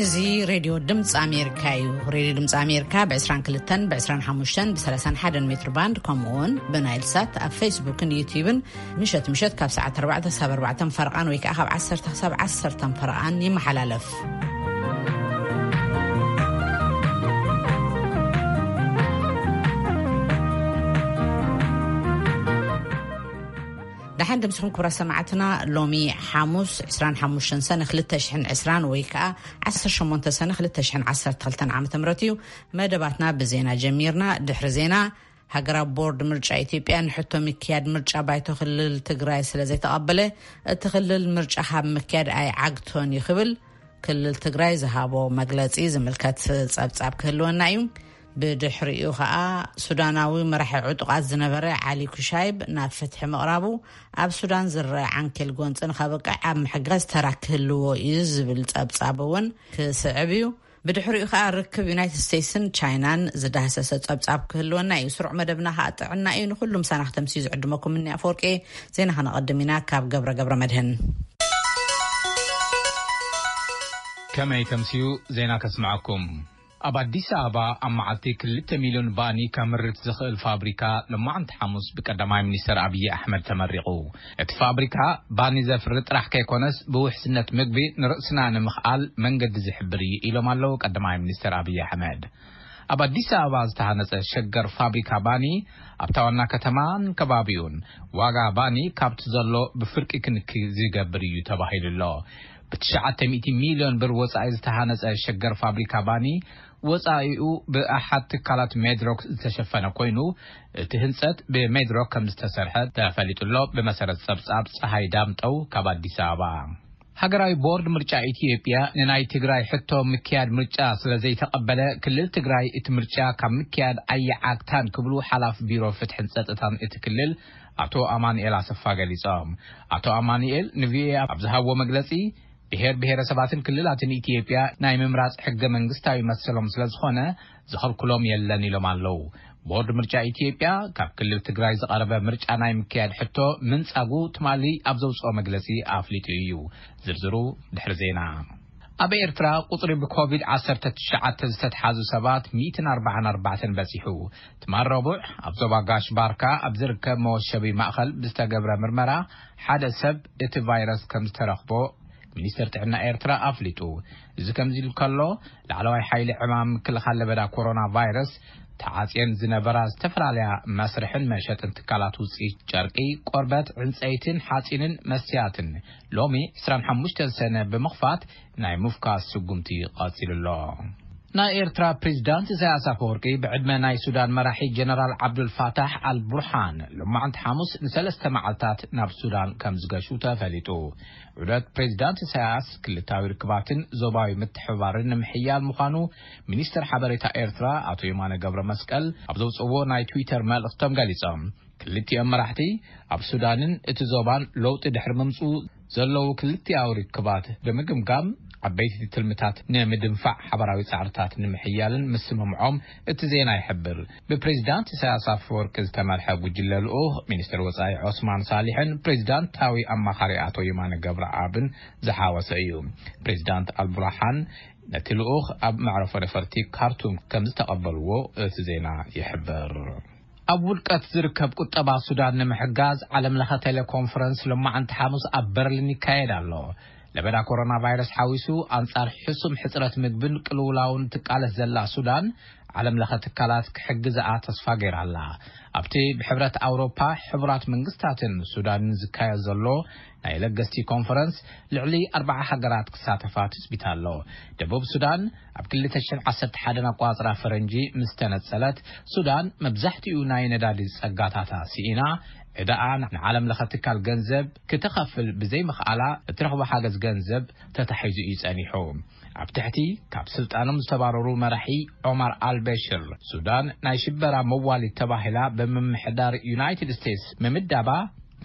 እዚ ሬድዮ ድምፂ ኣሜሪካ እዩ። ሬድዮ ድምፂ ኣሜሪካ ብ22፣ ብ25፣ ብ31 ሜትር ባንድ፣ ከምኡ እውን ብናይል ሳት ኣብ ፌስቡክን ዩቲዩብን ምሸት ምሸት ካብ ሰዓት ኣርባዕተ ክሳብ ኣርባዕተ ፈረቓን ወይ ከዓ ካብ ዓሰርተ ክሳብ ዓሰርተ ፈረቓን ይመሓላለፍ። ደሓን ድምስኹም ክብራ ሰማዕትና። ሎሚ ሓሙስ ዕስራን ሓሙሽተን ሰነ ክልተ ሽሕን ዕስራን ወይ ከዓ ዓሰርተ ሸሞንተ ሰነ ክልተ ሽሕን ዓሰርተ ክልተን ዓመተ ምህረት እዩ። መደባትና ብዜና ጀሚርና። ድሕሪ ዜና፣ ሃገራዊ ቦርድ ምርጫ ኢትዮጵያ ንሕቶ ምክያድ ምርጫ ባይቶ ክልል ትግራይ ስለ ዘይተቐበለ፣ እቲ ክልል ምርጫ ካብ ምክያድ ኣይዓግቶን እዩ ክብል ክልል ትግራይ ዝሃቦ መግለጺ ዝምልከት ጸብጻብ ክህልወና እዩ። ብድሕሪኡ ኸኣ፣ ሱዳናዊ መራሒ ዕጡቓት ዝነበረ ዓሊ ኩሻይብ ናብ ፍትሒ ምቕራቡ፣ ኣብ ሱዳን ዝረአ ዓንኬል ጎንጺ ንኸብቅዕ ኣብ ምሕጋዝ ተራ ክህልዎ እዩ ዝብል ጸብጻብ እውን ክስዕብ እዩ። ብድሕሪኡ ኸኣ፣ ርክብ ዩናይትድ ስቴትስን ቻይናን ዝዳህሰሰ ጸብጻብ ክህልወና እዩ። ስሩዕ መደብና ኸኣ ጥዕና እዩ። ንኹሉ ምሳና ክተምስዩ ዝዕድመኩም እኒ ኣፈወርቂ። ዜና ከነቐድም ኢና ካብ ገብረ ገብረ መድህን። ከመይ ተምስዩ? ዜና ከስምዐኩም። ኣብ ኣዲስ ኣበባ ኣብ መዓልቲ ክልተ ሚልዮን ባኒ ከምርት ዝኽእል ፋብሪካ ሎማዕንቲ ሓሙስ ብቀዳማይ ሚኒስተር ኣብዪ ኣሕመድ ተመሪቑ። እቲ ፋብሪካ ባኒ ዘፍሪ ጥራሕ ከይኮነስ፣ ብውሕስነት ምግቢ ንርእስና ንምኽኣል መንገዲ ዝሕብር እዩ ኢሎም ኣለዉ ቀዳማይ ሚኒስተር ኣብዪ ኣሕመድ። ኣብ ኣዲስ ኣበባ ዝተሃነጸ ሸገር ፋብሪካ ባኒ፣ ኣብታ ዋና ከተማን ከባቢኡን ዋጋ ባኒ ካብቲ ዘሎ ብፍርቂ ክንኪ ዝገብር እዩ ተባሂሉ ኣሎ። ብ900 ሚልዮን ብር ወጻኢ ዝተሃነጸ ሸገር ፋብሪካ ባኒ፣ ወጻኢኡ ብኣሓት ትካላት ሜድሮክ ዝተሸፈነ ኮይኑ፣ እቲ ህንጸት ብሜድሮክ ከም ዝተሰርሐ ተፈሊጡ ኣሎ። ብመሰረት ጸብጻብ ጸሃይ ዳምጠው ካብ ኣዲስ ኣበባ። ሃገራዊ ቦርድ ምርጫ ኢትዮጵያ ንናይ ትግራይ ሕቶ ምክያድ ምርጫ ስለ ዘይተቐበለ፣ ክልል ትግራይ እቲ ምርጫ ካብ ምክያድ ኣይዓግታን ክብሉ ሓላፊ ቢሮ ፍትሕን ጸጥታን እቲ ክልል ኣቶ ኣማኑኤል ኣሰፋ ገሊጾም። ኣቶ ኣማኑኤል ንቪኦኤ ኣብ ዝሃብዎ መግለጺ፣ ብሄር ብሄረሰባትን ክልላትን ኢትዮጵያ ናይ ምምራጽ ሕገ መንግስታዊ መሰሎም ስለ ዝኾነ፣ ዝኸልክሎም የለን ኢሎም ኣለዉ። ቦርድ ምርጫ ኢትዮጵያ ካብ ክልል ትግራይ ዝቐረበ ምርጫ ናይ ምክያድ ሕቶ ምንጻጉ ትማሊ ኣብ ዘውጽኦ መግለጺ ኣፍሊጡ እዩ። ዝርዝሩ ድሕሪ ዜና። ኣብ ኤርትራ ቁጽሪ ብኮቪድ ዓሰርተ ትሽዓተ ዝተትሓዙ ሰባት ሚእትን ኣርባዓን ኣርባዕተን በጺሑ። ትማል ረቡዕ ኣብ ዞባ ጋሽ ባርካ ኣብ ዝርከብ መወሸቢ ማእኸል ብዝተገብረ ምርመራ ሓደ ሰብ እቲ ቫይረስ ከም ዝተረኽቦ ሚኒስተር ጥዕና ኤርትራ ኣፍሊጡ። እዚ ከምዚ ኢሉ ከሎ፣ ላዕለዋይ ሓይሊ ዕማም ምክልኻል ለበዳ ኮሮና ቫይረስ፣ ተዓጽየን ዝነበራ ዝተፈላለያ መስርሕን መሸጥን ትካላት ውጽኢት ጨርቂ፣ ቆርበት፣ ዕንጸይትን ሓጺንን መስትያትን ሎሚ ዕስራን ሓሙሽተን ሰነ ብምኽፋት ናይ ምፍካስ ስጉምቲ ቀጺሉ ኣሎ። ናይ ኤርትራ ፕሬዝዳንት ኢሳያስ ኣፈወርቂ ብዕድመ ናይ ሱዳን መራሒ ጀነራል ዓብዱል ፋታሕ ኣል ቡርሃን ሎማዕንቲ ሓሙስ ንሰለስተ መዓልታት ናብ ሱዳን ከም ዝገሹ ተፈሊጡ። ዑደት ፕሬዝዳንት ኢሳያስ ክልታዊ ርክባትን ዞባዊ ምትሕብባርን ንምሕያል ምዃኑ ሚኒስትር ሓበሬታ ኤርትራ ኣቶ የማነ ገብረ መስቀል ኣብ ዘውፅዎ ናይ ትዊተር መልእኽቶም ገሊጾም። ክልቲኦም መራሕቲ ኣብ ሱዳንን እቲ ዞባን ለውጢ ድሕሪ ምምፅኡ ዘለዉ ክልቲኣዊ ርክባት ብምግምጋም ዓበይቲ ትልምታት ንምድንፋዕ ሓበራዊ ጻዕርታት ንምሕያልን ምስምምዖም እቲ ዜና ይሕብር። ብፕሬዝዳንት ኢሳያስ ኣፈወርቂ ዝተመርሐ ጉጅለ ልኡኽ ሚኒስትር ወጻኢ ዖስማን ሳሊሕን ፕሬዝዳንታዊ ኣማኻሪ ኣቶ የማነ ገብረኣብን ዝሓወሰ እዩ። ፕሬዝዳንት ኣልቡርሃን ነቲ ልኡኽ ኣብ መዕረፎ ነፈርቲ ካርቱም ከም ዝተቐበልዎ እቲ ዜና ይሕብር። ኣብ ውድቀት ዝርከብ ቁጠባ ሱዳን ንምሕጋዝ ዓለም ለኸ ቴሌኮንፈረንስ ሎማዓንቲ ሓሙስ ኣብ በርሊን ይካየድ ኣሎ። ለበዳ ኮሮና ቫይረስ ሓዊሱ ኣንጻር ሕሱም ሕጽረት ምግብን ቅልውላውን ትቃለስ ዘላ ሱዳን፣ ዓለም ለኸ ትካላት ክሕግዝኣ ተስፋ ገይራ ኣላ። ኣብቲ ብሕብረት ኣውሮፓ፣ ሕቡራት መንግስታትን ሱዳንን ዝካየድ ዘሎ ናይ ለገስቲ ኮንፈረንስ፣ ልዕሊ ኣርባዓ ሃገራት ክሳተፋ ትጽቢት ኣሎ። ደቡብ ሱዳን ኣብ ክልተ ሽሕን ዓሰርተ ሓደን ኣቆጻጽራ ፈረንጂ ምስ ተነጸለት፣ ሱዳን መብዛሕትኡ ናይ ነዳዲ ጸጋታታ ስኢና፣ ዕዳኣ ንዓለም ለኸ ትካል ገንዘብ ክተኸፍል ብዘይምኽኣላ፣ እትረኽቦ ሓገዝ ገንዘብ ተታሒዙ እዩ ጸኒሑ። ኣብ ትሕቲ ካብ ስልጣኖም ዝተባረሩ መራሒ ዖማር ኣልበሽር፣ ሱዳን ናይ ሽበራ መዋሊት ተባሂላ ብምምሕዳር ዩናይትድ ስቴትስ ምምዳባ፣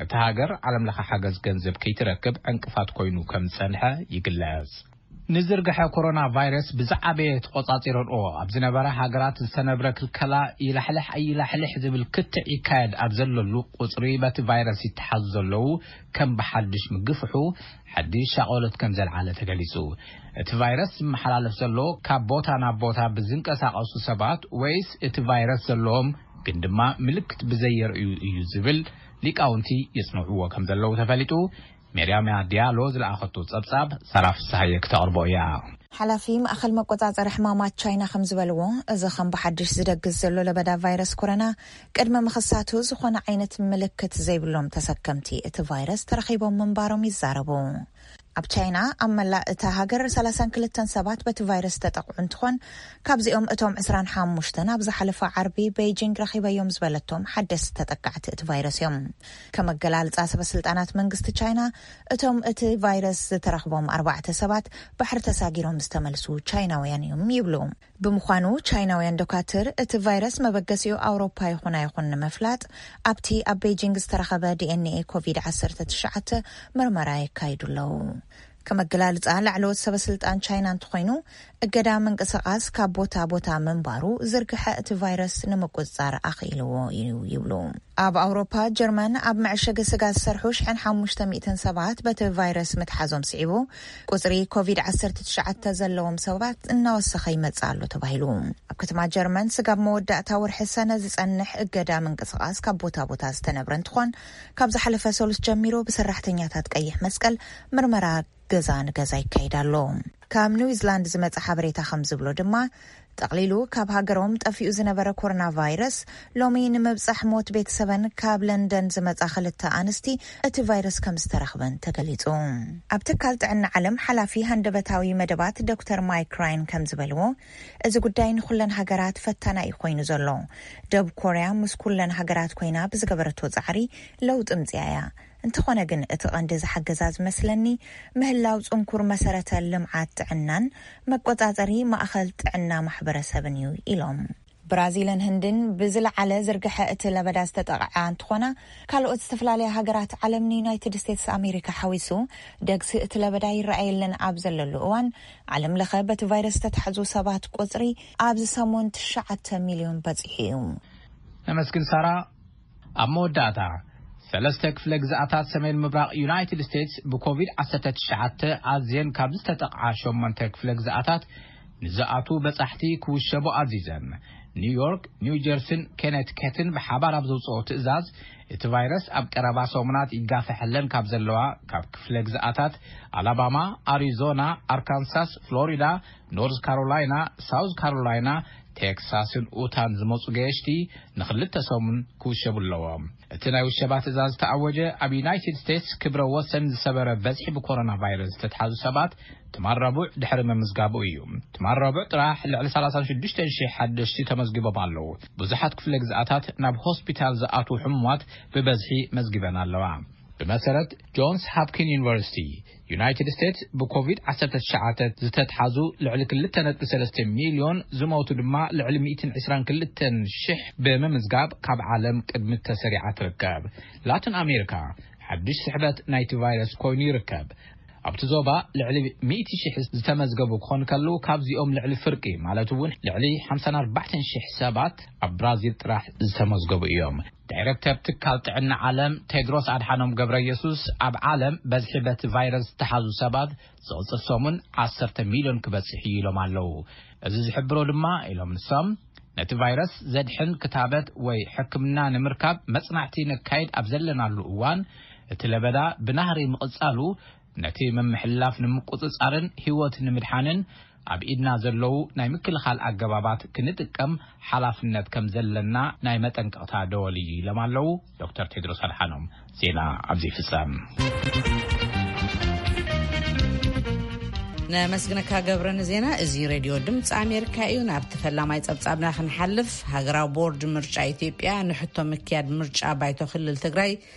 እታ ሃገር ዓለም ለኸ ሓገዝ ገንዘብ ከይትረክብ ዕንቅፋት ኮይኑ ከም ዝጸንሐ ይግለጽ። ንዝርግሐ ኮሮና ቫይረስ ብዝዓበየ ተቖጻጺረንኦ ኣብ ዝነበረ ሃገራት ዝተነብረ ክልከላ ይላሕልሕ ኣይላሕልሕ ዝብል ክትዕ ይካየድ ኣብ ዘለሉ፣ ቁጽሪ በቲ ቫይረስ ይተሓዙ ዘለዉ ከም ብሓድሽ ምግፍሑ ሓድሽ ሻቐሎት ከም ዘልዓለ ተገሊጹ። እቲ ቫይረስ ዝመሓላለፍ ዘሎ ካብ ቦታ ናብ ቦታ ብዝንቀሳቐሱ ሰባት ወይስ እቲ ቫይረስ ዘለዎም ግን ድማ ምልክት ብዘየርእዩ እዩ ዝብል ሊቃውንቲ የጽንዕዎ ከም ዘለዉ ተፈሊጡ። ሜርያምያ ዲያሎ ዝለኣኸቶ ጸብጻብ ሳራ ፍስሃየ ክተቕርቦ እያ። ሓላፊ ማእኸል መቆጻጸሪ ሕማማት ቻይና ከም ዝበልዎ፣ እዚ ከም ብሓድሽ ዝደግስ ዘሎ ለበዳ ቫይረስ ኮሮና ቅድሚ ምኽሳቱ ዝኾነ ዓይነት ምልክት ዘይብሎም ተሰከምቲ እቲ ቫይረስ ተረኺቦም ምንባሮም ይዛረቡ። ኣብ ቻይና ኣብ መላእ እታ ሃገር ሰላሳን ክልተን ሰባት በቲ ቫይረስ ተጠቕዑ እንትኾን፣ ካብዚኦም እቶም ዕስራን ሓሙሽተን ኣብ ዝሓለፈ ዓርቢ ቤይጂንግ ረኺበዮም ዝበለቶም ሓደስቲ ተጠቃዕቲ እቲ ቫይረስ እዮም። ከመገላልጻ ሰበስልጣናት መንግስቲ ቻይና፣ እቶም እቲ ቫይረስ ዝተረኽቦም ኣርባዕተ ሰባት ባሕሪ ተሳጊሮም ዝተመልሱ ቻይናውያን እዮም ይብሉ። ብምዃኑ ቻይናውያን ዶካትር እቲ ቫይረስ መበገሲኡ ኣውሮፓ ይኹን ኣይኹን ንምፍላጥ ኣብቲ ኣብ ቤይጂንግ ዝተረኸበ ዲኤንኤ ኮቪድ ዓሰርተ ትሽዓተ ምርመራ የካይዱ ኣለዉ። ከመገላልጻ ላዕለዎት ሰበስልጣን ቻይና እንተኾይኑ፣ እገዳ ምንቅስቓስ ካብ ቦታ ቦታ ምንባሩ ዝርግሐ እቲ ቫይረስ ንምቁጽጻር ኣኽኢልዎ እዩ ይብሉ። ኣብ ኣውሮፓ ጀርመን ኣብ መዕሸጊ ስጋ ዝሰርሑ ሽሕን ሓሙሽተ ሚእትን ሰባት በቲ ቫይረስ ምትሓዞም ስዒቡ፣ ቁጽሪ ኮቪድ ዓሰርተ ትሽዓተ ዘለዎም ሰባት እናወሰኸ ይመጽእ ኣሎ ተባሂሉ። ኣብ ከተማ ጀርመን ስጋብ መወዳእታ ወርሒ ሰነ ዝጸንሕ እገዳ ምንቅስቓስ ካብ ቦታ ቦታ ዝተነብረ እንትኾን፣ ካብ ዝሓለፈ ሰሉስ ጀሚሩ ብሰራሕተኛታት ቀይሕ መስቀል ምርመራ ገዛ ንገዛ ይካየድ ኣሎ። ካብ ኒውዚላንድ ዝመጸ ሓበሬታ ከም ዝብሎ ድማ፣ ጠቕሊሉ ካብ ሃገሮም ጠፊኡ ዝነበረ ኮሮና ቫይረስ ሎሚ ንምብጻሕ ሞት ቤተሰበን ካብ ለንደን ዝመጻ ክልተ ኣንስቲ እቲ ቫይረስ ከም ዝተረኽበን ተገሊጹ። ኣብ ትካል ጥዕና ዓለም ሓላፊ ሃንደበታዊ መደባት ዶክተር ማይክ ራይን ከም ዝበልዎ፣ እዚ ጉዳይ ንኹለን ሃገራት ፈታናይ ኮይኑ ዘሎ። ደቡብ ኮርያ ምስ ኩለን ሃገራት ኮይና ብዝገበረቶ ጻዕሪ ለውጢ ምጽያ እያ። እንተኾነ ግን እቲ ቀንዲ ዝሓገዛ ዝመስለኒ ምህላው ጽንኩር መሰረተ ልምዓት ጥዕናን መቆጻጸሪ ማእኸል ጥዕና ማሕበረሰብን እዩ ኢሎም። ብራዚልን ህንድን ብዝለዓለ ዝርግሐ እቲ ለበዳ ዝተጠቕዓ እንትኾና፣ ካልኦት ዝተፈላለያ ሃገራት ዓለም ንዩናይትድ ስቴትስ ኣሜሪካ ሓዊሱ ደግሲ እቲ ለበዳ ይረኣየለን ኣብ ዘለሉ እዋን፣ ዓለም ለኸ በቲ ቫይረስ ዝተታሕዙ ሰባት ቁጽሪ ኣብዚ ሰሙን ትሽዓተ ሚልዮን በጺሑ እዩ። ነመስግን ሳራ። ኣብ መወዳእታ፣ ሰለስተ ክፍለ ግዝኣታት ሰሜን ምብራቕ ዩናይትድ ስቴትስ ብኮቪድ ዓሰርተ ትሽዓተ ኣዝየን ካብ ዝተጠቕዓ ሸሞንተ ክፍለ ግዝኣታት ንዝኣትዉ በጻሕቲ ክውሸቡ ኣዚዘን። ኒውዮርክ፣ ኒው ጀርሲን ኬነቲከትን ብሓባር ኣብ ዘውጽኦ ትእዛዝ፣ እቲ ቫይረስ ኣብ ቀረባ ሰሙናት ይጋፈሐለን ካብ ዘለዋ ካብ ክፍለ ግዝኣታት ኣላባማ፣ ኣሪዞና፣ ኣርካንሳስ፣ ፍሎሪዳ፣ ኖርዝ ካሮላይና፣ ሳውዝ ካሮላይና፣ ቴክሳስን ኡታን ዝመጹ ገየሽቲ ንኽልተ ሰሙን ክውሸቡ ኣለዎም። እቲ ናይ ውሸባ ትእዛዝ ዝተኣወጀ፣ ኣብ ዩናይትድ ስቴትስ ክብረ ወሰን ዝሰበረ በዝሒ ብኮሮና ቫይረስ ዝተትሓዙ ሰባት ትማል ረቡዕ ድሕሪ ምምዝጋቡ እዩ። ትማል ረቡዕ ጥራሕ ልዕሊ ሰላሳ ሽዱሽተ ሽሕ ሓደሽቲ ተመዝጊቦም ኣለዉ። ብዙሓት ክፍለ ግዝኣታት ናብ ሆስፒታል ዝኣትዉ ሕሙማት ብበዝሒ መዝጊበን ኣለዋ። ብመሰረት ጆንስ ሃፕኪን ዩኒቨርሲቲ፣ ዩናይትድ ስቴትስ ብኮቪድ ዓሰርተ ትሽዓተ ዝተትሓዙ ልዕሊ ክልተ ነጥቢ ሰለስተ ሚልዮን፣ ዝሞቱ ድማ ልዕሊ ሚእትን ዕስራን ክልተን ሽሕ ብምምዝጋብ ካብ ዓለም ቅድሚት ተሰሪዓ ትርከብ። ላቲን ኣሜሪካ ሓድሽ ስሕበት ናይቲ ቫይረስ ኮይኑ ይርከብ። ኣብቲ ዞባ ልዕሊ ሚእቲ ሽሕ ዝተመዝገቡ ክኾኑ ከለዉ፣ ካብዚኦም ልዕሊ ፍርቂ ማለት እውን ልዕሊ ሓምሳን ኣርባዕተን ሽሕ ሰባት ኣብ ብራዚል ጥራሕ ዝተመዝገቡ እዮም። ዳይረክተር ትካል ጥዕና ዓለም ቴድሮስ ኣድሓኖም ገብረ ኢየሱስ፣ ኣብ ዓለም በዝሒ በቲ ቫይረስ ዝተሓዙ ሰባት ዝቕጽል ሰሙን ዓሰርተ ሚልዮን ክበጽሕ እዩ ኢሎም ኣለዉ። እዚ ዝሕብሮ ድማ ኢሎም ንሶም፣ ነቲ ቫይረስ ዘድሕን ክታበት ወይ ሕክምና ንምርካብ መጽናዕቲ ነካይድ ኣብ ዘለናሉ እዋን፣ እቲ ለበዳ ብናህሪ ምቕጻሉ፣ ነቲ ምምሕልላፍ ንምቁጽጻርን ህይወት ንምድሓንን ኣብ ኢድና ዘለዉ ናይ ምክልኻል ኣገባባት ክንጥቀም ሓላፍነት ከም ዘለና ናይ መጠንቀቕታ ደወል እዩ ኢሎም ኣለዉ ዶክተር ቴድሮስ ኣድሓኖም። ዜና ኣብዚ ይፍጸም። ነመስግነካ ገብረ ንዜና። እዚ ሬድዮ ድምፂ ኣሜሪካ እዩ። ናብቲ ፈላማይ ጸብጻብና ክንሓልፍ፣ ሃገራዊ ቦርድ ምርጫ ኢትዮጵያ ንሕቶ ምክያድ ምርጫ ባይቶ ክልል ትግራይ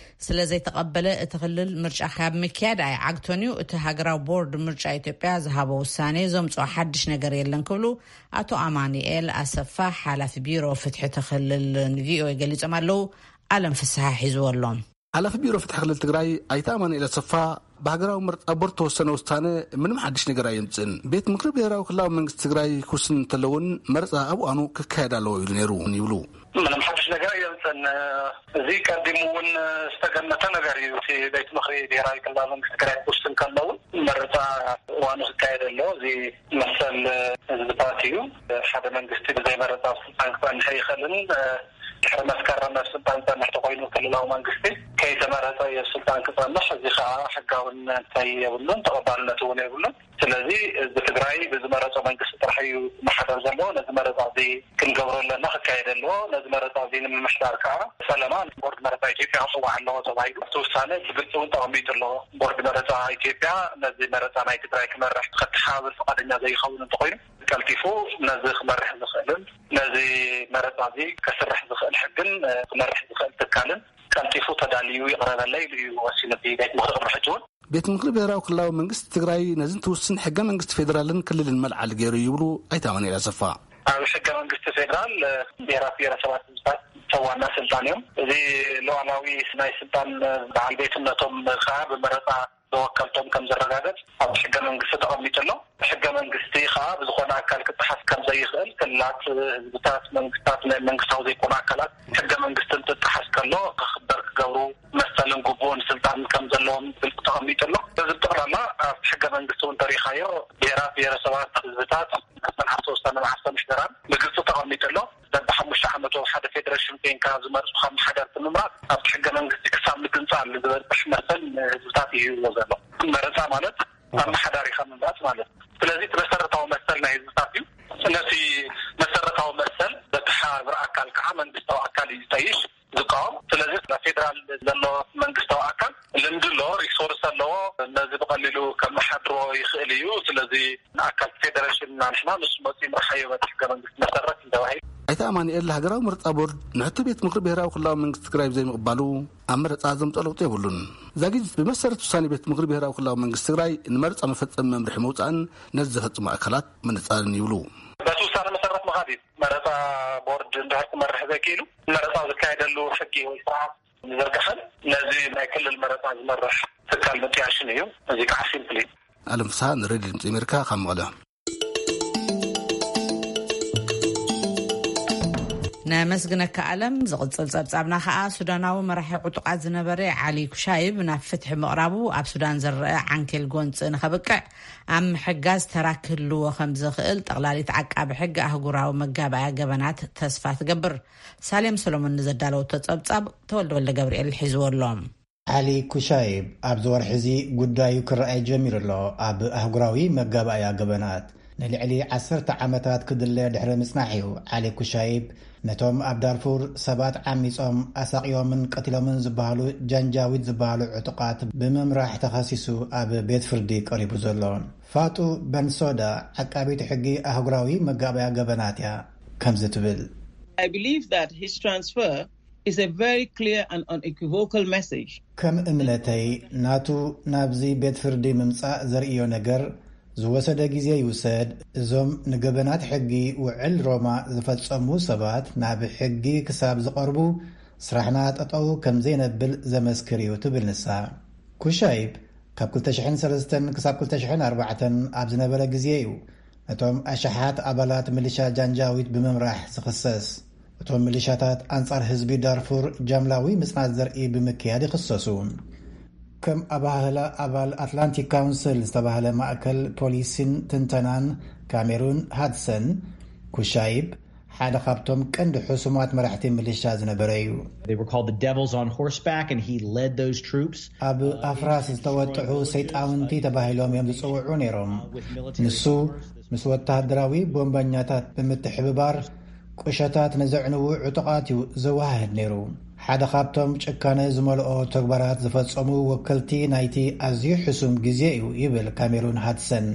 ስለ ዘይተቐበለ፣ እቲ ክልል ምርጫ ካብ ምክያድ ኣይዓግቶን እዩ። እቲ ሃገራዊ ቦርድ ምርጫ ኢትዮጵያ ዝሃቦ ውሳኔ ዘምጽኦ ሓድሽ ነገር የለን ክብሉ ኣቶ ኣማኑኤል ኣሰፋ፣ ሓላፊ ቢሮ ፍትሒ እቲ ክልል፣ ንቪኦኤ ገሊጾም ኣለዉ። ኣለም ፍስሓ ሒዝዎ ኣሎ። ሓላፊ ቢሮ ፍትሒ ክልል ትግራይ ኣይተ ኣማኑኤል ኣሰፋ ብሃገራዊ ምርጫ ቦርድ ተወሰነ ውሳነ ምንም ሓድሽ ነገር ኣየምፅእን። ቤት ምክሪ ብሄራዊ ክልላዊ መንግስቲ ትግራይ ክውስን እንተለውን መረፃ ኣብ እዋኑ ክካየድ ኣለዎ ኢሉ ነይሩ ይብሉ። ምንም ሓድሽ ነገር ኣየምፅእን። እዚ ቀዲሙ እውን ዝተገመተ ነገር እዩ። እቲ ቤት ምክሪ ብሄራዊ ክልላዊ መንግስቲ ትግራይ ክውስን ከለውን መረፃ እዋኑ ክካየድ ኣለዎ። እዚ መሰል ህዝብታት እዩ። ሓደ መንግስቲ ብዘይ መረፃ ኣብ ስልጣን ክፀንሕ ኣይኽእልን። ድሕሪ መስከረም ኣብ ስልጣን ዝፀንሕ ተኮይኑ ክልላዊ መንግስቲ ከይተመረፀ እዩ ኣብ ስልጣን ክፀንሕ። እዚ ከዓ ሕጋውነት የብሉን፣ ተቐባልነት እውን የብሉን። ስለዚ ህዝቢ ትግራይ ብዝመረፆ መንግስቲ ጥራሕ እዩ ክመሓደር ዘለዎ። ነዚ መረፃ እዚ ክንገብሮ ኣለና፣ ክካየድ ኣለዎ። ነዚ መረፃ እዚ ንምምሕዳር ከዓ ፈለማ ቦርድ መረፃ ኢትዮጵያ ክፅዋዕ ኣለዎ ተባሂሉ እቲ ውሳነ ብግልፂ እውን ተቐሚጡ ኣለዎ። ቦርድ መረፃ ኢትዮጵያ ነዚ መረፃ ናይ ትግራይ ክመርሕ ከተሓባብር ፍቓደኛ ዘይኸውን እንተኮይኑ ቀልጢፉ ነዚ ክመርሕ ዝኽእልን ነዚ መረፃ እዚ ከስርሕ ዝኽእል ሕግን ክመርሕ ዝኽእል ትካልን ቀልጢፉ ተዳልዩ ይቕረበለይ ኢሉ እዩ ወሲኑ እቲ ቤት ምክሪ ቅድሚ ሕጂ እውን። ቤት ምክሪ ብሄራዊ ክልላዊ መንግስቲ ትግራይ ነዚ እንትውስን ሕገ መንግስቲ ፌዴራልን ክልልን መልዓሊ ገይሩ ይብሉ ኣይተ ኣማኑኤል ኣሰፋ። ኣብ ሕገ መንግስቲ ፌዴራል ብሄራት ብሄረሰባት ህዝብታት ዋና ስልጣን እዮም። እዚ ሉዓላዊ ናይ ስልጣን በዓል ቤትነቶም ከዓ ብመረፃ ተወከልቶም ከም ዝረጋገጽ ኣብ ሕገ መንግስቲ ተቐሚጡ ኣሎ። ሕገ መንግስቲ ከዓ ብዝኾነ ኣካል ክጠሓስ ከም ዘይኽእል፣ ክልላት፣ ህዝብታት፣ መንግስታት፣ ናይ መንግስታዊ ዘይኮኑ ኣካላት ሕገ መንግስቲ እንትጠሓስ ከሎ ክኽበር ክገብሩ መሰልን ግቡእን ስልጣን ከም ዘለዎም ብግልፂ ተቐሚጡ ኣሎ። እዚ ብጠቕላላ ኣብ ሕገ መንግስቲ እውን ተሪኻዮ ብሄራት፣ ብሄረሰባት፣ ህዝብታት መሰል ሃፍቲ ውሳነ መዓርፎ ምሕደራን ብግልፂ ተቐሚጡ ኣሎ። በብሓሙሽተ ዓመቱ ሓደ ፌደሬሽን ኮይንካ ዝመርፁ ካብ መሓደርቲ ምምራፅ ኣብቲ ሕገ መንግስቲ ክሳብ ምግንፃል ዝበፅሕ መሰል ንህዝብታት እዩ ሂብዎ ዘሎ። መረፃ ማለት ኣመሓዳሪኻ ምምራፅ ማለት እዩ። ስለዚ እቲ መሰረታዊ መሰል ናይ ህዝብታት እዩ። ነቲ መሰረታዊ መሰል ዘተሓባብር ኣካል ከዓ መንግስታዊ ኣካል እዩ ዝጠይሽ፣ ዝቃወም። ስለዚ ኣብ ፌደራል ዘሎ መንግስታዊ ኣካል ልምዲ ኣለዎ፣ ሪሶርስ ኣለዎ። ነዚ ብቐሊሉ ከመሓድሮ ይኽእል እዩ። ስለዚ ንኣካል ፌደሬሽን እና ንሕና ንሱ መፂኡ ምርሓዮ በቲ ሕገ መንግስቲ መሰረት እንተባሂሉ። ኣይተ ኣማኑኤል፣ ሃገራዊ ምርጫ ቦርድ ንሕቶ ቤት ምክሪ ብሄራዊ ክልላዊ መንግስቲ ትግራይ ብዘይምቕባሉ ኣብ መረፃ ዘምፅኦ ለውጢ የብሉን። ዛጊት ብመሰረት ውሳኔ ቤት ምክሪ ብሄራዊ ክልላዊ መንግስቲ ትግራይ ንመረፃ መፈፀሚ መምርሒ ምውፃእን ነዚ ዘፈፅሙ ኣካላት ምንፃርን ይብሉ። በቲ ውሳነ መሰረት ምኻድ እዩ። መረፃ ቦርድ እንድሕር ክመርሕ ዘይክኢሉ መረፃ ዝካየደሉ ሕጊ ወይ ስርዓት ምዝርጋሕን ነዚ ናይ ክልል መረፃ ዝመርሕ ትካል ምጥያሽን እዩ። እዚ ከዓ ሲምፕሊ። ኣለም ፍስሃ ንሬድዮ ድምፂ ኣሜሪካ ካብ መቐለ። ነመስግነካ ኣለም። ዝቕጽል ጸብጻብና ከኣ ሱዳናዊ መራሒ ዕጡቓት ዝነበረ ዓሊ ኩሻይብ ናብ ፍትሒ ምቕራቡ ኣብ ሱዳን ዝረአ ዓንኬል ጎንጺ ንኸብቅዕ ኣብ ምሕጋዝ ተራ ክህልዎ ከም ዝኽእል ጠቕላሊት ዓቃቢ ሕጊ ኣህጉራዊ መጋባእያ ገበናት ተስፋ ትገብር። ሳሌም ሰሎሞን ንዘዳለወቶ ጸብጻብ ተወልደ ወልደ ገብርኤል ሒዝዎ ኣሎ። ዓሊ ኩሻይብ ኣብዚ ወርሒ እዚ ጉዳዩ ክረኣይ ጀሚሩ ኣሎ። ኣብ ኣህጉራዊ መጋባእያ ገበናት ንልዕሊ ዓሰርተ ዓመታት ክድለ ድሕሪ ምጽናሕ እዩ ዓሊ ኩሻይብ ነቶም ኣብ ዳርፉር ሰባት ዓሚጾም ኣሳቕዮምን ቀቲሎምን ዝበሃሉ ጃንጃዊድ ዝበሃሉ ዕጡቓት ብምምራሕ ተኸሲሱ ኣብ ቤት ፍርዲ ቀሪቡ ዘሎ። ፋጡ በንሶዳ ዓቃቢት ሕጊ ኣህጉራዊ መጋባእያ ገበናት እያ ከምዚ ትብል። I believe that his transfer is a very clear and unequivocal message. ከም እምነተይ ናቱ ናብዚ ቤት ፍርዲ ምምጻእ ዘርእዮ ነገር ዝወሰደ ግዜ ይውሰድ። እዞም ንገበናት ሕጊ ውዕል ሮማ ዝፈጸሙ ሰባት ናብ ሕጊ ክሳብ ዝቐርቡ ስራሕና ጠጠው ከም ዘይነብል ዘመስክር እዩ ትብል ንሳ። ኩሻይብ ካብ ክልተ ሽሕን ሰለስተን ክሳብ ክልተ ሽሕን ኣርባዕተን ኣብ ዝነበረ ግዜ እዩ ነቶም ኣሽሓት ኣባላት ሚሊሻ ጃንጃዊድ ብምምራሕ ዝኽሰስ። እቶም ሚሊሻታት ኣንጻር ህዝቢ ዳርፉር ጃምላዊ ምጽናት ዘርኢ ብምክያድ ይኽሰሱ። ከም ኣባህላ ኣባል ኣትላንቲክ ካውንስል ዝተባህለ ማእከል ፖሊሲን ትንተናን ካሜሩን ሃድሰን፣ ኩሻይብ ሓደ ካብቶም ቀንዲ ሕሱማት መራሕቲ ሚሊሻ ዝነበረ እዩ። They were called the devils on horseback, and he led those troops. ኣብ ኣፍራስ ዝተወጥሑ ሰይጣውንቲ ተባሂሎም እዮም ዝጽውዑ ነይሮም። ንሱ ምስ ወተሃደራዊ ቦምበኛታት ብምትሕብባር ቁሸታት ንዘዕንዉ ዕጡቓት እዩ ዘወሃህድ ነይሩ። ሓደ ካብቶም ጭካነ ዝመልኦ ተግባራት ዝፈጸሙ ወከልቲ ናይቲ ኣዝዩ ሕሱም ግዜ እዩ ይብል ካሜሩን ሃድሰን።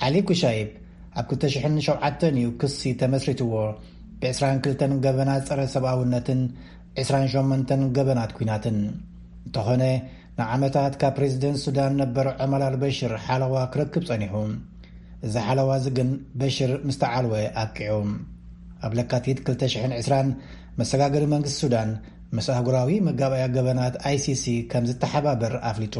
ዓሊ ኩሻይብ ኣብ ክልተ ሽሕን ሸውዓተን እዩ ክሲ ተመስሪትዎ። ብ ዕስራን ክልተን ገበናት ጸረ ሰብኣውነትን ዕስራን ሸሞንተን ገበናት ኲናትን። እንተኾነ ንዓመታት ካብ ፕሬዚደንት ሱዳን ነበር ዑመር ኣልበሽር ሓለዋ ክረክብ ጸኒሑ። እዚ ሓለዋ እዚ ግን በሽር ምስ ተዓልወ ኣብቂዑ። ኣብ ለካቲት ክልተ ሽሕን ዕስራን መሰጋገሪ መንግስቲ ሱዳን ምስ ኣህጉራዊ መጋባእያ ገበናት ኣይሲሲ ከም ዝተሓባበር ኣፍሊጡ።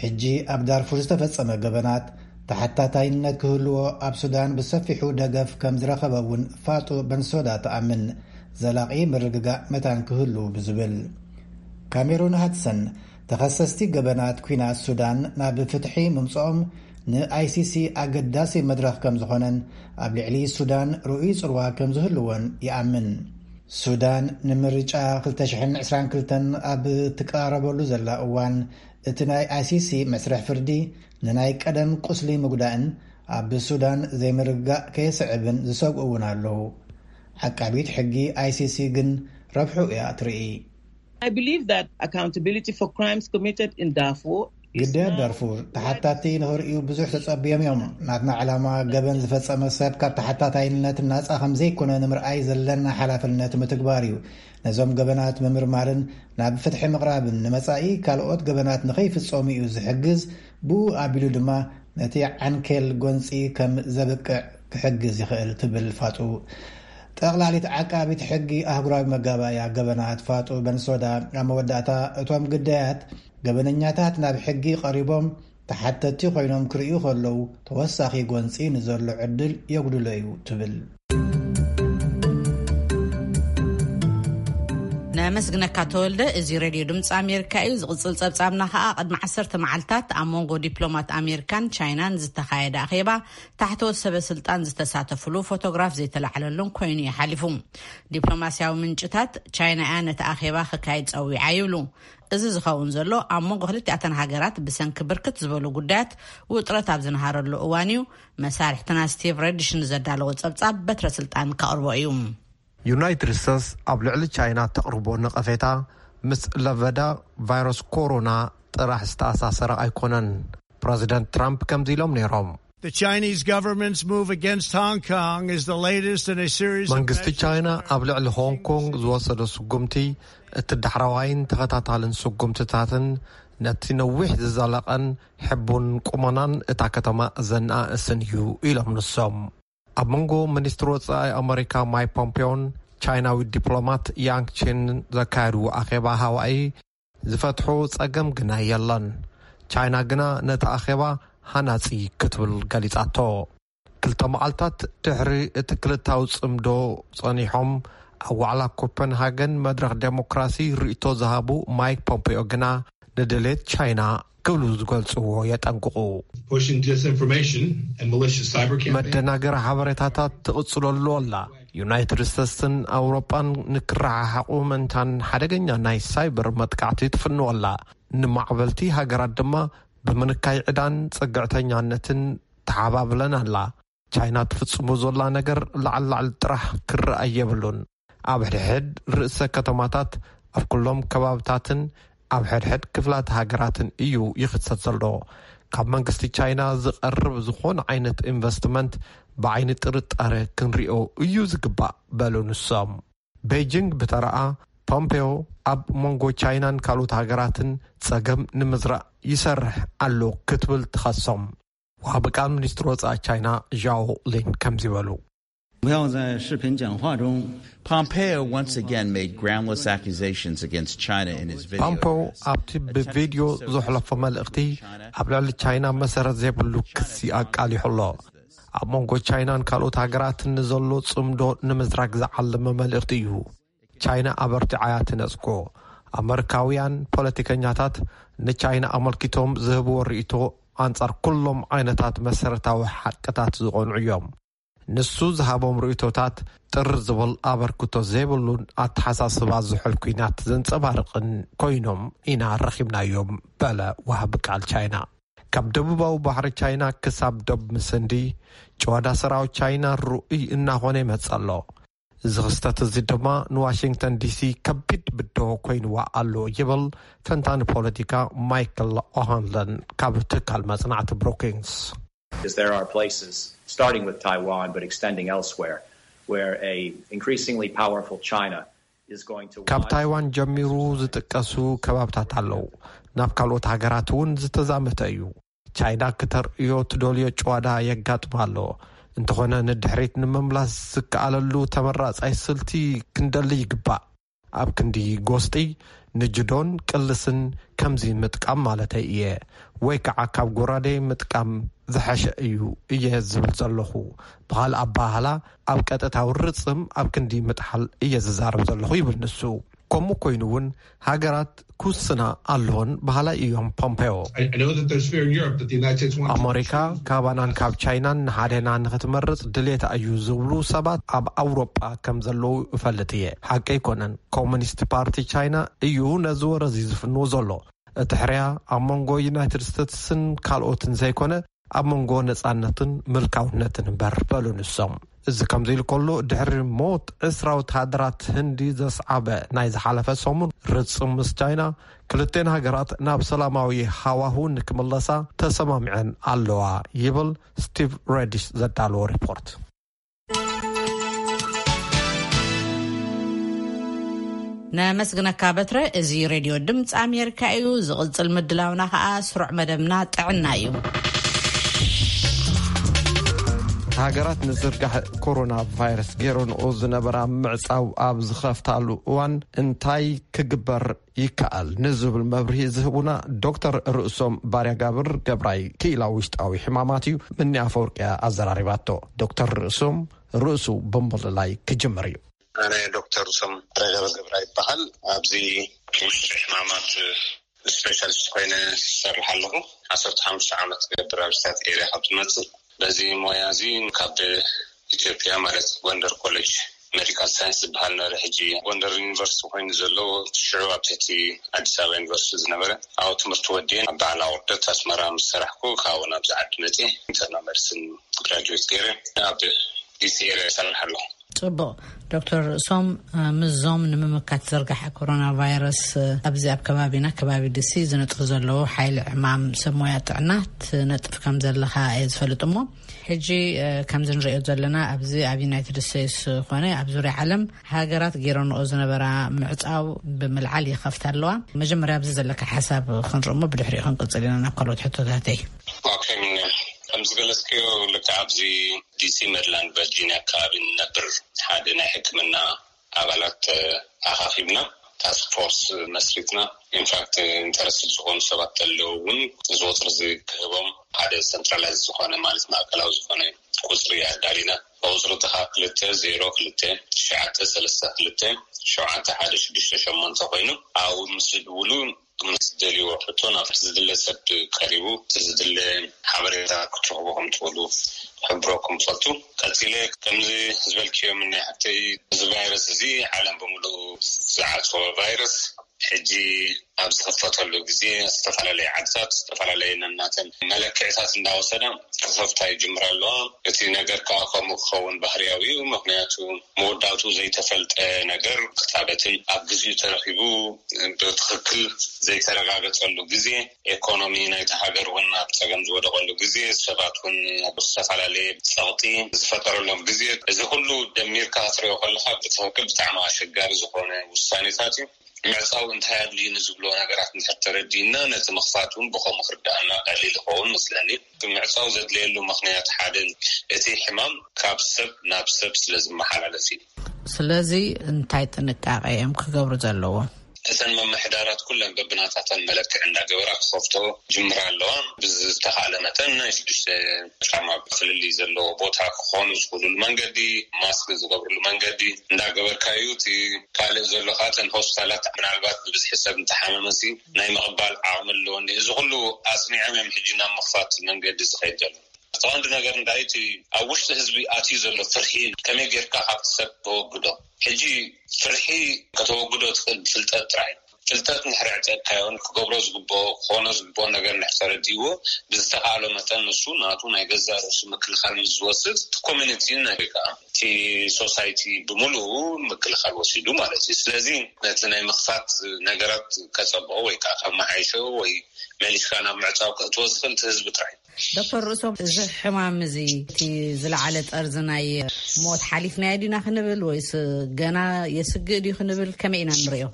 ሕጂ ኣብ ዳርፉር ዝተፈጸመ ገበናት ተሓታታይነት ክህልዎ ኣብ ሱዳን ብሰፊሑ ደገፍ ከም ዝረኸበ እውን ፋጡ በንሶዳ ትኣምን። ዘላቒ ምርግጋእ መታን ክህሉ ብዝብል። ካሜሩን ሃድሰን ተኸሰስቲ ገበናት ኲናት ሱዳን ናብ ፍትሒ ምምጽኦም ንኣይሲሲ ኣገዳሲ መድረኽ ከም ዝኾነን ኣብ ልዕሊ ሱዳን ርኡይ ጽልዋ ከም ዝህልዎን ይኣምን። ሱዳን ንምርጫ ክልተ ሽሕን ዕስራን ክልተን ኣብ ትቀራረበሉ ዘላ እዋን፣ እቲ ናይ ኣይሲሲ መስርሕ ፍርዲ ንናይ ቀደም ቁስሊ ምጉዳእን ኣብ ሱዳን ዘይምርግጋእ ከየስዕብን ዝሰግኡ እውን ኣለዉ። ዓቃቢት ሕጊ ኣይሲሲ ግን ረብሑ እያ ትርኢ። I believe that accountability for crimes committed in Darfur is ግዳያት now ዳርፉር ተሓታቲ ንኽርእዩ ብዙሕ ተጸብዮም እዮም። ናትና ዕላማ፣ ገበን ዝፈጸመ ሰብ ካብ ተሓታታይነት ናጻ ከም ዘይኮነ ንምርኣይ ዘለና ሓላፍነት ምትግባር እዩ። ነዞም ገበናት ምምርማርን ናብ ፍትሒ ምቕራብን ንመጻኢ ካልኦት ገበናት ንኸይፍጸሙ እዩ ዝሕግዝ፣ ብኡ ኣቢሉ ድማ ነቲ ዓንኬል ጎንጺ ከም ዘብቅዕ ክሕግዝ ይኽእል ትብል ፋጡ። ጠቕላሊት ዓቃቢት ሕጊ ኣህጉራዊ መጋባእያ ገበናት ፋጡ በንሶዳ ኣብ መወዳእታ፣ እቶም ግዳያት ገበነኛታት ናብ ሕጊ ቀሪቦም ተሓተቲ ኮይኖም ክርእዩ ከለዉ፣ ተወሳኺ ጎንጺ ንዘሎ ዕድል የጉድሎ እዩ ትብል። ነመስግነካ ተወልደ። እዚ ሬድዮ ድምፂ ኣሜሪካ እዩ። ዝቕፅል ፀብፃብና ከዓ ቅድሚ ዓሰርተ መዓልታት ኣብ መንጎ ዲፕሎማት ኣሜሪካን ቻይናን ዝተኻየደ ኣኼባ፣ ታሕተዎት ሰበ ስልጣን ዝተሳተፍሉ፣ ፎቶግራፍ ዘይተላዕለሉን ኮይኑ እዩ ሓሊፉ። ዲፕሎማሲያዊ ምንጭታት፣ ቻይና እያ ነቲ ኣኼባ ክካየድ ፀዊዓ ይብሉ። እዚ ዝኸውን ዘሎ ኣብ መንጎ ክልቲኣተን ሃገራት ብሰንኪ ብርክት ዝበሉ ጉዳያት ውጥረት ኣብ ዝነሃረሉ እዋን እዩ። መሳርሕትና ስቲቭ ረድሽ ንዘዳለዎ ጸብጻብ በትረ ስልጣን ከቕርቦ እዩ። ዩናይትድ ስቴትስ ኣብ ልዕሊ ቻይና ተቕርቦ ነቐፌታ ምስ ለበዳ ቫይረስ ኮሮና ጥራሕ ዝተኣሳሰረ ኣይኮነን። ፕረዚደንት ትራምፕ ከምዚ ኢሎም ነይሮም። The Chinese government's move against Hong Kong is the latest in a series of መንግስቲ ቻይና ኣብ ልዕሊ ሆንግ ኮንግ ዝወሰዶ ስጉምቲ እቲ ዳሕረዋይን ተኸታታልን ስጉምትታትን ነቲ ነዊሕ ዝዘለቐን ሕቡን ቁመናን እታ ከተማ ዘነኣእስን እዩ ኢሎም ንሶም። ኣብ መንጎ ሚኒስትሪ ወጻኢ ኣመሪካ ማይክ ፖምፔዮን ቻይናዊ ዲፕሎማት ያንግ ቺን ዘካየድዎ ኣኼባ ሃዋኢ ዝፈትሖ ጸገም ግና የለን። ቻይና ግና ነቲ ኣኼባ ሃናጺ ክትብል ገሊጻቶ። ክልተ መዓልታት ድሕሪ እቲ ክልታዊ ጽምዶ ጸኒሖም ኣብ ዋዕላ ኮፐንሃገን መድረኽ ዴሞክራሲ ርእይቶ ዝሃቡ ማይክ ፖምፔዮ ግና ንድሌት ቻይና ክብሉ ዝገልጽዎ የጠንቅቑ። መደናገሪ ሓበሬታታት ትቕጽለሉ ኣላ። ዩናይትድ ስቴትስን ኣውሮጳን ንክረሓሓቑ ምእንታን ሓደገኛ ናይ ሳይበር መጥቃዕቲ ትፍንወላ። ንማዕበልቲ ሃገራት ድማ ብምንካይ ዕዳን ጽግዕተኛነትን ተሓባብለን ኣላ። ቻይና ትፍጽሞ ዘላ ነገር ላዕሊ ላዕሊ ጥራሕ ክረኣይ የብሉን። ኣብ ሕድሕድ ርእሰ ከተማታት፣ ኣብ ኩሎም ከባብታትን ኣብ ሕድሕድ ክፍላት ሃገራትን እዩ ይኽሰት ዘሎ። ካብ መንግስቲ ቻይና ዝቐርብ ዝኾነ ዓይነት ኢንቨስትመንት ብዓይኒ ጥርጣረ ክንሪኦ እዩ ዝግባእ በሉ ንሶም። ቤጂንግ ብተረኣ ፖምፔዮ ኣብ መንጎ ቻይናን ካልኦት ሃገራትን ጸገም ንምዝራእ ይሰርሕ ኣሎ ክትብል ትኸሶም። ወሃቢ ቃል ሚኒስትሪ ወጻኢ ቻይና ዣኦ ሊን ከምዚ በሉ። 不要在视频讲话中 Pompeo once again made groundless accusations against China in his video. ፓምፖ ኣብቲ ብቪድዮ ዘሕለፎ መልእኽቲ ኣብ ልዕሊ ቻይና መሰረት ዘይብሉ ክሲ ኣቃሊሑ ኣሎ። ኣብ መንጎ ቻይናን ካልኦት ሃገራትን ንዘሎ ጽምዶ ንምዝራግ ዝዓለመ መልእኽቲ እዩ። ቻይና ኣበርቲዓያ ትነጽጎ። ኣመሪካውያን ፖለቲከኛታት ንቻይና ኣመልኪቶም ዝህብዎ ርእይቶ ኣንጻር ኩሎም ዓይነታት መሰረታዊ ሓቅታት ዝቐንዑ እዮም። ንሱ ዝሃቦም ርእይቶታት ጥር ዝብል ኣበርክቶ ዘይብሉን ኣተሓሳስባ ዝሑል ኲናት ዘንጸባርቕን ኮይኖም ኢና ረኺብናዮም በለ ወሃቢ ቃል ቻይና። ካብ ደቡባዊ ባሕሪ ቻይና ክሳብ ዶብ ምስንዲ ጭዋዳ ሰራዊት ቻይና ርኡይ እናኾነ ይመጽእ ኣሎ። እዚ ክስተት እዚ ድማ ንዋሽንግተን ዲሲ ከቢድ ብድሆ ኮይንዋ ኣሎ ይብል ተንታኒ ፖለቲካ ማይክል ኦሃንለን ካብ ትካል መጽናዕቲ ብሩኪንግስ። Because there are places, starting with Taiwan but extending elsewhere, where a increasingly powerful China is going to ካብ want ታይዋን ጀሚሩ ዝጥቀሱ ከባብታት ኣለዉ። ናብ ካልኦት ሃገራት እውን ዝተዛመተ እዩ። ቻይና ክተርእዮ ትደልዮ ጭዋዳ የጋጥማ ኣሎ። እንተኾነ ንድሕሪት ንምምላስ ዝከኣለሉ ተመራጻይ ስልቲ ክንደሊ ይግባእ። ኣብ ክንዲ ጎስጢ ንጅዶን ቅልስን ከምዚ ምጥቃም ማለተይ እየ። ወይ ከዓ ካብ ጎራዴ ምጥቃም ዝሐሸ እዩ እየ ዝብል ዘለኹ። ብኻልእ ኣባህላ፣ ኣብ ቀጥታዊ ርጽም ኣብ ክንዲ ምጥሓል እየ ዝዛረብ ዘለኹ ይብል ንሱ። ከምኡ ኮይኑ እውን ሃገራት ክውስና ኣለዎን በሃላይ እዮም ፖምፔዮ። I, I know that there's fear in Europe that the United States wants ኣሜሪካ ካባናን ካብ ቻይናን ንሓደና ንክትመርጽ ድሌታ እዩ ዝብሉ ሰባት ኣብ ኣውሮጳ ከም ዘለዉ እፈልጥ እየ። ሓቂ ኣይኮነን። ኮሙኒስት ፓርቲ ቻይና እዩ ነዚ ወረዚ ዝፍንዎ ዘሎ። እቲ ሕርያ ኣብ መንጎ ዩናይትድ ስቴትስን ካልኦትን ዘይኮነ፣ ኣብ መንጎ ነጻነትን ምልካውነትን እምበር፣ በሉ ንሶም። እዚ ከምዚ ኢሉ ከሎ፣ ድሕሪ ሞት ዕስራ ወተሃደራት ህንዲ ዘስዓበ ናይ ዝሓለፈ ሰሙን ርጽም ምስ ቻይና፣ ክልቴን ሃገራት ናብ ሰላማዊ ሃዋሁ ንክምለሳ ተሰማሚዐን ኣለዋ ይብል ስቲቭ ሬዲሽ ዘዳለዎ ሪፖርት። ነመስግነካ በትረ። እዚ ሬድዮ ድምፂ ኣሜሪካ እዩ። ዝቕፅል ምድላውና ከዓ ስሩዕ መደብና ጥዕና እዩ። ሃገራት ንዝርጋሕ ኮሮና ቫይረስ ገይረንኦ ዝነበራ ምዕፃው ኣብ ዝኸፍታሉ እዋን እንታይ ክግበር ይከኣል ንዝብል መብርሂ ዝህቡና ዶክተር ርእሶም ባርያጋብር ገብራይ ክኢላ ውሽጣዊ ሕማማት እዩ። ምኒ ኣፈወርቅያ ኣዘራሪባቶ። ዶክተር ርእሶም ርእሱ ብምልላይ ክጅምር እዩ። ኣነ ዶክተር ርእሶም ባርያጋብር ገብራይ ይበሃል። ኣብዚ ውሽጢ ሕማማት ስፔሻሊስት ኮይነ ዝሰርሕ ኣለኹ። ዓሰርተ ሓሙሽተ ዓመት ክገብር ኣብ ስታት ኤርያ ካብ ትመፅእ። በዚ ሞያ እዚ ካብ ኢትዮጵያ ማለት ጎንደር ኮሌጅ ሜዲካል ሳይንስ ዝበሃል ነበረ። ሕጂ ጎንደር ዩኒቨርሲቲ ኮይኑ ዘሎ ሽዑ ኣብ ትሕቲ ኣዲስ ኣበባ ዩኒቨርሲቲ ዝነበረ ኣብኡ ትምህርቲ ወዲኤ ኣብ በዓል ኣውርደት ኣስመራ ምስ ሰራሕኩ ካብኡ ናብዚ ዓዲ መፅየ ኢንተርናል መዲሲን ግራጁዌት ገይረ ኣብ ዲሲ ኤርያ ይሰርሕ ኣለኹ። ፅቡቕ። ዶክተር ርእሶም፣ ምስዞም ንምምካት ዝርጋሐ ኮሮና ቫይረስ ኣብዚ ኣብ ከባቢና ከባቢ ዲሲ ዝነጥፉ ዘለዉ ሓይሊ ዕማም ሰብ ሞያ ጥዕና ትነጥፍ ከም ዘለኻ እየ ዝፈልጥ እሞ ሕጂ ከምዚ ንሪኦ ዘለና ኣብዚ ኣብ ዩናይትድ ስቴትስ ኮነ ኣብ ዙርያ ዓለም ሃገራት ገይረንኦ ዝነበራ ምዕፃው ብምልዓል ይኸፍታ ኣለዋ። መጀመርያ ኣብዚ ዘለካ ሓሳብ ክንርኢ እሞ ብድሕሪኡ ክንቅፅል ኢና ናብ ካልኦት ሕቶታተይ። ከምዝገለፅክዮ ልክዕ ኣብዚ ዲሲ ሜሪላንድ ቨርጂኒያ ከባቢ ንነብር ሓደ ናይ ሕክምና ኣባላት ኣኻኺብና ታስክ ፎርስ መስሪትና ኢንፋክት ኢንተረስትድ ዝኾኑ ሰባት ተለዉ እውን እዚ ቁፅሪ እዚ ክህቦም ሓደ ሰንትራላይዝ ዝኾነ ማለት ማእከላዊ ዝኾነ ቁፅሪ ኣዳሊና ቁፅሪ ተኻ ክልተ ዜሮ ክልተ ትሽዓተ ሰለስተ ክልተ ሸውዓተ ሓደ ሽዱሽተ ሸሞንተ ኮይኑ ኣብኡ ምስ ዝድውሉ ምስ ዝደልይዎ ሕቶ ናብ ዝድለ ሰብ ቀሪቡ እቲ ዝድለ ሓበሬታ ክትረኽቡ ከም ትኽእሉ ክሕብረኩም ይፈቱ። ቀፂለ ከምዚ ዝበልክዮ ምናይ ሓፍተይ እዚ ቫይረስ እዚ ዓለም ብምሉኡ ዝዓፀወ ቫይረስ ሕጂ ኣብ ዝኽፈተሉ ግዜ ዝተፈላለየ ዓድታት ዝተፈላለየ ነናተን መለክዕታት እንዳወሰዳ ክኸፍታ ይጅምራ ኣለዋ። እቲ ነገር ከዓ ከምኡ ክኸውን ባህርያዊ እዩ። ምክንያቱ መወዳእቱ ዘይተፈልጠ ነገር ክታበትን ኣብ ግዜኡ ተረኺቡ ብትኽክል ዘይተረጋገፀሉ ግዜ ኤኮኖሚ ናይቲ ሃገር እውን ኣብ ፀገም ዝወደቐሉ ግዜ ሰባት እውን ኣብ ዝተፈላለየ ፀቕጢ ዝፈጠረሎም ግዜ እዚ ኩሉ ደሚርካ ክትሪኦ ከለካ ብትኽክል ብጣዕሚ ኣሸጋሪ ዝኾነ ውሳኔታት እዩ። ምዕፃው እንታይ ኣድልዩ ንዝብሎ ነገራት እንድሕር ተረዲእና ነቲ ምኽፋት እውን ብኸምኡ ክርዳእና ቀሊል ይኸውን መስለኒ። ምዕፃው ዘድልየሉ ምኽንያት ሓደ እቲ ሕማም ካብ ሰብ ናብ ሰብ ስለ ዝመሓላለፍ እዩ። ስለዚ እንታይ ጥንቃቄ እዮም ክገብሩ ዘለዎም? እተን ምምሕዳራት ኩለን በብናታተን መለክዕ እንዳገበራ ክኸፍቶ ጅምራ ኣለዋ። ብዝተኻእለ መጠን ናይ ሽዱሽተ ጫማ ፍልልይ ዘለዎ ቦታ ክኾኑ ዝኽእሉሉ መንገዲ፣ ማስክ ዝገብርሉ መንገዲ እንዳገበርካ እዩ። እቲ ካልእ ዘሎ ከዓ እተን ሆስፒታላት ምናልባት ብብዝሒ ሰብ እንተሓመመሲ ናይ ምቕባል ዓቕሚ ኣለዎ እንዲ እዚ ኩሉ ኣፅኒዖም እዮም ሕጂ ናብ ምኽፋት መንገዲ ዝኸይድ ዘሎ። እቲ ቀንዲ ነገር እንታይ እቲ ኣብ ውሽጢ ህዝቢ ኣትዩ ዘሎ ፍርሒ ከመይ ጌርካ ካብቲ ሰብ ተወግዶ። ሕጂ ፍርሒ ከተወግዶ ትኽእል ብፍልጠት ጥራይ። ፍልጠት እንድሕር ኣዕጠቕካዮን ክገብሮ ዝግብኦ ክኾኖ ዝግብኦ ነገር እንድሕር ተረዲእዎ ብዝተኻእሎ መጠን ንሱ ናቱ ናይ ገዛእ ርእሱ ምክልኻል ምስ ዝወስድ እቲ ኮሚኒቲ ወይ ከዓ እቲ ሶሳይቲ ብምሉኡ ምክልኻል ወሲዱ ማለት እዩ። ስለዚ ነቲ ናይ ምኽፋት ነገራት ከፀብኦ ወይ ከዓ ከመሓይሾ ወይ መሊስካ ናብ ምዕፃው ከእትዎ ዝኽእል እቲ ህዝቢ ጥራይ። ዶክተር ርእሶም እዚ ሕማም እዚ እቲ ዝለዓለ ጠርዚ ናይ ሞት ሓሊፍናዮ ዲና ክንብል ወይስ ገና የስግእ ድዩ ክንብል ከመይ ኢና ንሪኦ?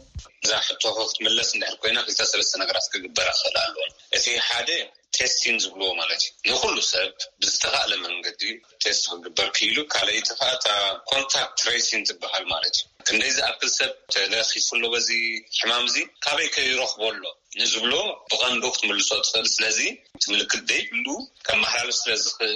እዛ ሕቶ ክትምለስ እንድሕር ኮይና ክልተ ሰለስተ ነገራት ክግበራ ክኽእል ኣለዎን። እቲ ሓደ እቲ ቴስቲን ዝብልዎ ማለት እዩ። ንኩሉ ሰብ ብዝተኻእለ መንገዲ ቴስት ክግበር ክኢሉ፣ ካልኣይቲ ከዓ እታ ኮንታክት ትሬሲን ትበሃል ማለት እዩ። ክንደይ ዝኣክል ሰብ ተለኺፉ ኣሎ በዚ ሕማም እዚ፣ ካበይ ከይረኽቦ ኣሎ ንዝብሎ ብቐንዱ ክትምልሶ ትኽእል። ስለዚ እቲ ምልክት ዘይብሉ ከመሓላልፍ ስለ ዝኽእል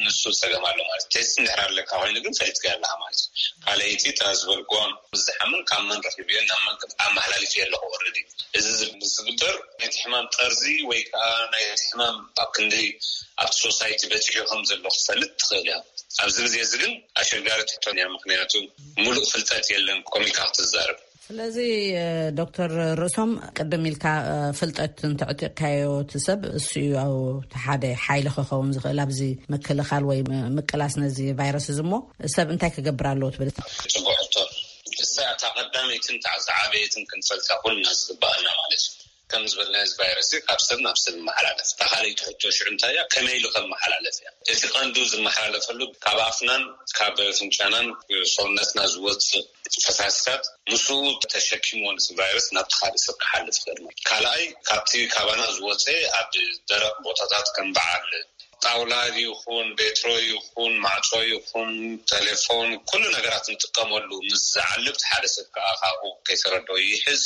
ንሱ ጸገም ኣሎ ማለት እዩ። ቴስት እንድሕር ኣለካ ኮይኑ ግን ፈሊጥካ ኣለኻ ማለት እዩ። ካልኣይቲ እታ ዝበልክዋ ዝሓምን ካብ መን ረኺብዮ ናብ መን ኣመሓላሊፍ ኣለኹ ኦልሬዲ። እዚ ዝግበር ናይቲ ሕማም ጠርዚ ወይ ከዓ ናይቲ ሕማም ኣብ ክንደይ ኣብቲ ሶሳይቲ በፂሑ ከም ዘሎ ክትፈልጥ ትኽእል እያ። ኣብዚ ግዜ እዚ ግን ኣሸጋሪ ትሕቶን እያ፣ ምክንያቱ ሙሉእ ፍልጠት የለን ኮሚካ ክትዛረብ። ስለዚ ዶክተር ርእሶም ቅድም ኢልካ ፍልጠት እንተዕጢቕካዮ እቲ ሰብ እሱ እዩ ኣብ ሓደ ሓይሊ ክኸውን ዝኽእል ኣብዚ ምክልኻል ወይ ምቅላስ ነዚ ቫይረስ እዚ እሞ ሰብ እንታይ ክገብር ኣለዎ ትብል? ጽቡቅ ሕቶ። እሳ እታ ቀዳመይትን እታ ዝዓበየትን ክንፈልጣ ኩልና ዝግባኣና ማለት እዩ። ከም ዝበልና እዚ ቫይረስ ካብ ሰብ ናብ ሰብ ይመሓላለፍ። እታ ካልኣይቲ ሕቶ ሽዑ እንታይ እያ? ከመይ ኢሉ ከም መሓላለፍ እያ። እቲ ቀንዱ ዝመሓላለፈሉ ካብ ኣፍናን ካብ ፍንጫናን ሰውነትና ዝወፅእ ፈሳስታት ምስኡ ተሸኪምዎ ነቲ ቫይረስ ናብቲ ካልእ ሰብ ክሓልፍ ይኽእል ማለት። ካልኣይ ካብቲ ካባና ዝወፀ ኣብ ደረቕ ቦታታት ከም በዓል ጣውላ ይኹን ቤትሮ ይኹን ማዕጾ ይኹን ቴሌፎን ኩሉ ነገራት ንጥቀመሉ ምስ ዝዓልብ ሓደ ሰብ ከዓ ካብኡ ከይተረድኦ ይሕዝ።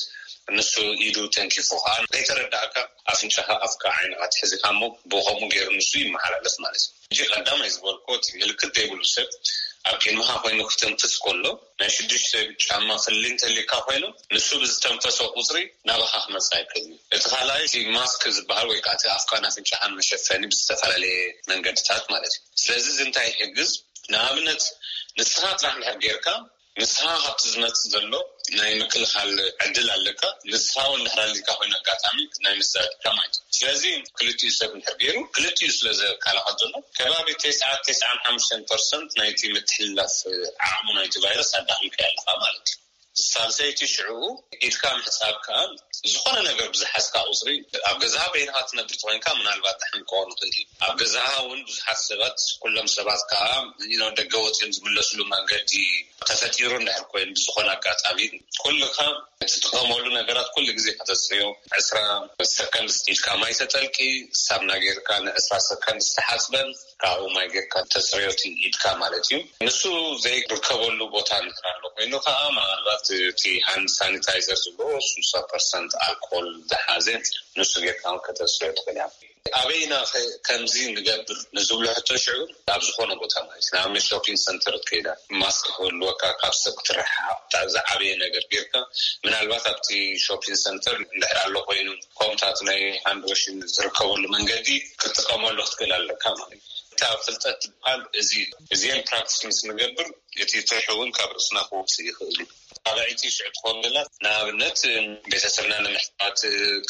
ንሱ ኢዱ ተንኪፉ ከዓ ከይተረዳእካ ኣፍንጫኻ ኣፍካ ዓይንኻ ትሕዚኻ እሞ ብኸምኡ ገይሩ ንሱ ይመሓላለፍ ማለት እዩ። እጂ ቀዳማይ ዝበልኮ እቲ ምልክት ዘይብሉ ሰብ ኣብ ቅድሚኻ ኮይኑ ክተንፍስ ከሎ ናይ ሽዱሽተ ጫማ ፍልልይ እንተልካ ኮይኑ ንሱ ብዝተንፈሶ ቁፅሪ ናባኻ ክመፅእ ኣይክእል እዩ። እቲ ካልኣይ እቲ ማስክ ዝበሃል ወይ ከዓ እቲ ኣፍካን ኣፍንጫኻን መሸፈኒ ብዝተፈላለየ መንገድታት ማለት እዩ። ስለዚ እዚ እንታይ ይሕግዝ? ንኣብነት ንስኻ ጥራሕ እንድሕር ጌርካ ንስኻ ካብቲ ዝመፅእ ዘሎ ናይ ምክልኻል ዕድል ኣለካ። ንስኻ እውን እንድሕር ኣሊካ ኮይኑ ኣጋጣሚ ናይ ምስዳድካ ማለት እዩ። ስለዚ ክልቲኡ ሰብ እንድሕር ገይሩ ክልቲኡ ስለ ዘከላኸል ዘሎ ከባቢ ተስዓ ተስዓን ሓሙሽተን ፐርሰንት ናይቲ ምትሕልላፍ ዓቕሙ ናይቲ ቫይረስ ኣዳኺምካ ኣለኻ ማለት እዩ። ሳልሰይቲ ሽዑ ኢድካ ምሕጻብ ከኣ ዝኾነ ነገር ብዝሓዝካ ቁጽሪ ኣብ ገዛኻ በይንኻ ትነብር ተኾይንካ ምናልባት ደሓን ክኸውን ይኽእል እዩ። ኣብ ገዛኻ እውን ብዙሓት ሰባት ኩሎም ሰባት ከኣ you know ደገ ወጺኦም ዝምለስሉ መንገዲ ተፈጢሩ እንድሕር ኮይኑ ብዝኾነ ኣጋጣሚ ኩልኻ እትጥቀመሉ ነገራት ኩሉ ግዜ ከተጽርዮ ዕስራ ሰከንድ ኢድካ ማይ ተጠልቂ ሳምና ጌርካ ንዕስራ ሰከንድ ዝተሓጽበን ካብኡ ማይ ጌርካ ተፅርዮ እቲ ኢድካ ማለት እዩ። ንሱ ዘይርከበሉ ቦታ እንድሕር ኣሎ ኮይኑ ከዓ ምናልባት እቲ ሃንድ ሳኒታይዘር ዝብሎ ስልሳ ፐርሰንት ኣልኮል ዝሓዘ ንሱ ጌርካ እውን ከተፅርዮ ትኽእል እያ። ኣበይና ከ ከምዚ ንገብር ንዝብሎ ሕቶ ሽዑ ኣብ ዝኾነ ቦታ ማለት እዩ። ንኣብነት ሾፒንግ ሰንተር ትከይዳ ማስክ ክህልወካ ካብ ሰብ ክትረሓሓቕ ዝዓበየ ነገር ጌርካ ምናልባት ኣብቲ ሾፒንግ ሰንተር እንድሕር ኣሎ ኮይኑ ከምታት ናይ ሃንድ ዋሽን ዝርከበሉ መንገዲ ክትጥቀመሉ ክትክእል ኣለካ ማለት እዩ። እታ ፍልጠት ትበሃል እዚ እዚን ፕራክቲስ ምስ ንገብር እቲ ፍርሒ እውን ካብ ርእስና ክወፅእ ይኽእል እዩ። ካልኣይቲ ሽዑ ትኾን ዘላ ንኣብነት ቤተሰብና ንምሕታት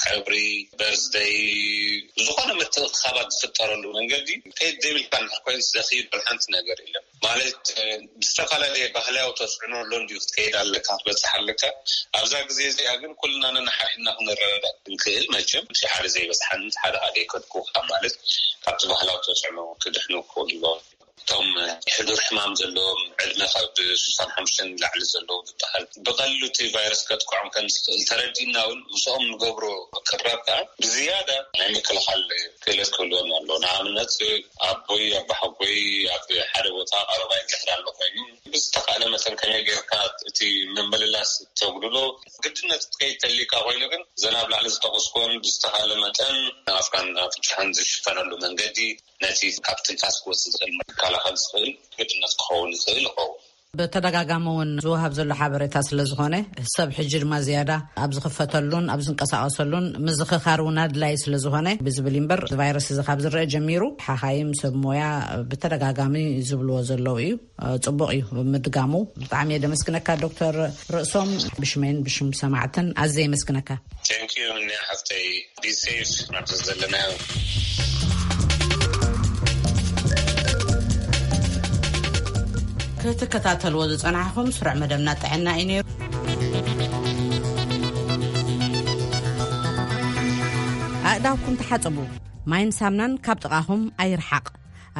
ቀብሪ በርዝደይ ዝኾነ ምትእኽኻባት ዝፍጠረሉ መንገዲ ከይድ ዘይብልካ እንድሕር ኮይኑ ዘኽይድ ሓንቲ ነገር የለን። ማለት ብዝተፈላለየ ባህላዊ ተፅዕኖ ኣሎ እንዲዩ ክትከይድ ኣለካ ክትበፅሕ ኣለካ። ኣብዛ ግዜ እዚኣ ግን ኩልና ነናሓሪና ክንረዳዳእ ክንክእል መቸም እቲ ሓደ ዘይበፅሓኒ እቲ ሓደ ኣደይከድኩካ ማለት ካብቲ ባህላዊ ተፅዕኖ ክድሕኑ ክኽእሉ ኣለዎም። እቶም ሕዱር ሕማም ዘለዎም ዕድመ ካብ ስሳን ሓሙሽተን ንላዕሊ ዘለዉ ዝበሃል ብቐሊሉ እቲ ቫይረስ ከጥቅዖም ከም ዝኽእል ተረዲእና እውን ምስኦም ንገብሮ ቅራብ ከዓ ብዝያዳ ናይ ምክልኻል ክእለት ክህልወና ኣሎ። ንኣብነት ኣቦይ ኣባሓጎይ ኣብ ሓደ ቦታ ቀረባይ እንድሕር ኣሎ ኮይኑ ብዝተኻእለ መጠን ከመይ ጌርካ እቲ ምምልላስ ተጉድሎ ግድነት ክትከይድ ተሊካ ኮይኑ ግን ዘን ኣብ ላዕሊ ዝጠቐስኩዎን ብዝተኻእለ መጠን ኣፍካን ኣፍንጫኻን ዝሽፈነሉ መንገዲ ነቲ ካብ ትንፋስ ክወፅእ ዝኽእል መከላኸል ዝኽእል ግድነት ክኸውን ይኽእል ይኸውን። ብተደጋጋሚ እውን ዝወሃብ ዘሎ ሓበሬታ ስለ ዝኾነ ሰብ ሕጂ ድማ ዝያዳ ኣብ ዝኽፈተሉን ኣብ ዝንቀሳቐሰሉን ምዝኽኻር እውን ኣድላይ ስለ ዝኾነ ብዝብል እምበር ቫይረስ እዚ ካብ ዝረአ ጀሚሩ ሓኻይም ሰብ ሞያ ብተደጋጋሚ ዝብልዎ ዘለዉ እዩ። ጽቡቕ እዩ ምድጋሙ። ብጣዕሚ እየ ደመስግነካ ዶክተር ርእሶም። ብሽመይን ብሽም ሰማዕትን ኣዝየ የመስግነካ። Thank you እኒ ሓፍተይ። Be safe ናብዚ ዘለናዮ። ክትከታተልዎ ዝጸናሕኹም ስሩዕ መደብና ጥዕና እዩ ነይሩ። ኣእዳውኩም ተሓጸቡ። ማይን ሳምናን ካብ ጥቓኹም ኣይርሓቕ።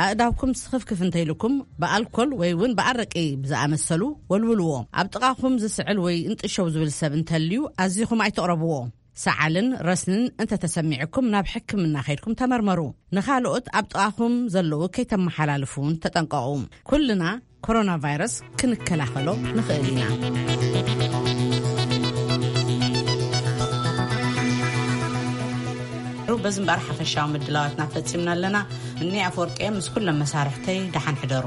ኣእዳውኩም ስኽፍክፍ እንተይልኩም ብኣልኮል ወይ እውን ብኣረቂ ብዝኣመሰሉ ወልውልዎ። ኣብ ጥቓኹም ዝስዕል ወይ እንጥሸው ዝብል ሰብ እንተልዩ ኣዚኹም ኣይተቕረብዎ። ሰዓልን ረስንን እንተተሰሚዕኩም ናብ ሕክምና ከይድኩም ተመርመሩ። ንኻልኦት ኣብ ጥቓኹም ዘለዉ ከይተመሓላልፉ እውን ተጠንቀቑ። ኩልና ኮሮና ቫይረስ ክንከላኸሎ ንኽእል ኢና። በዚ እምበኣር ሓፈሻዊ ምድላዋትና ፈጺምና ኣለና። እኒ ኣፈወርቂ ምስ ኩሎም መሳርሕተይ ደሓን ሕደሩ።